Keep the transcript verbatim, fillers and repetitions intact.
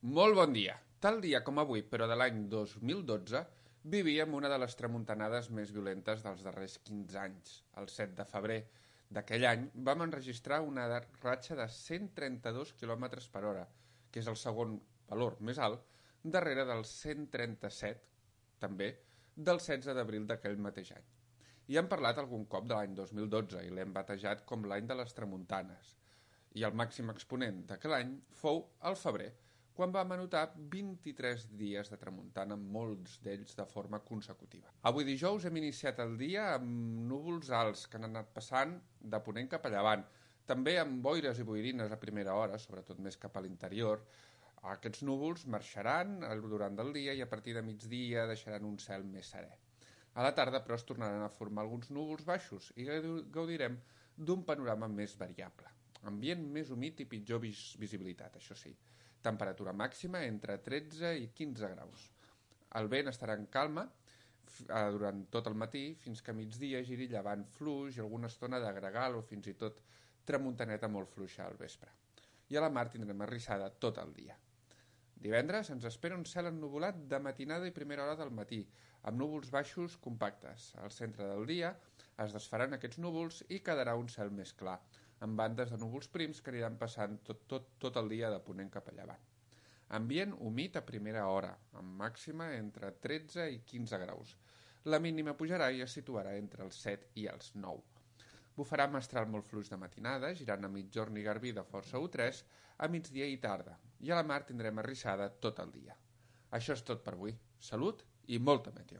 Molt bon dia. Tal dia com avui, però de l'any dos mil dotze, vivíem una de les tramuntanades més violentes dels darrers quinze anys. El set de febrer d'aquell any vam enregistrar una ratxa de cent trenta-dos quilòmetres per hora, que és el segon valor més alt, darrere del cent trenta-set, també, del setze d'abril d'aquell mateix any. I hem parlat algun cop de l'any dos mil dotze i l'hem batejat com l'any de les tramuntanes. I el màxim exponent d'aquell any fou el febrer, quan vam anotar vint-i-tres dies de tramuntana, molts d'ells de forma consecutiva. Avui dijous hem iniciat el dia amb núvols alts que han anat passant de ponent cap a llevant, també amb boires i boirines a primera hora, sobretot més cap a l'interior. Aquests núvols marxaran durant el dia i a partir de migdia deixaran un cel més serè. A la tarda, però, es tornaran a formar alguns núvols baixos i gaudirem d'un panorama més variable. Ambient més humit i pitjor vis visibilitat, això sí. Temperatura màxima entre tretze i quinze graus. El vent estarà en calma durant tot el matí fins que a migdia giri llevant fluix i alguna estona de gregal o fins i tot tramuntaneta molt fluixa al vespre. I a la mar tindrem arrissada tot el dia. Divendres ens espera un cel ennuvolat de matinada i primera hora del matí, amb núvols baixos compactes. Al centre del dia es desfaran aquests núvols i quedarà un cel més clar, amb bandes de núvols prims que aniran passant tot, tot, tot el dia de ponent cap a llevant. Ambient humit a primera hora, amb màxima entre tretze i quinze graus. La mínima pujarà i es situarà entre els set i els nou. Bufarà mestral molt fluix de matinada, girant a migjorn i garbí de força u tres, a migdia i tarda, i a la mar tindrem arrissada tot el dia. Això és tot per avui. Salut i molta meteo.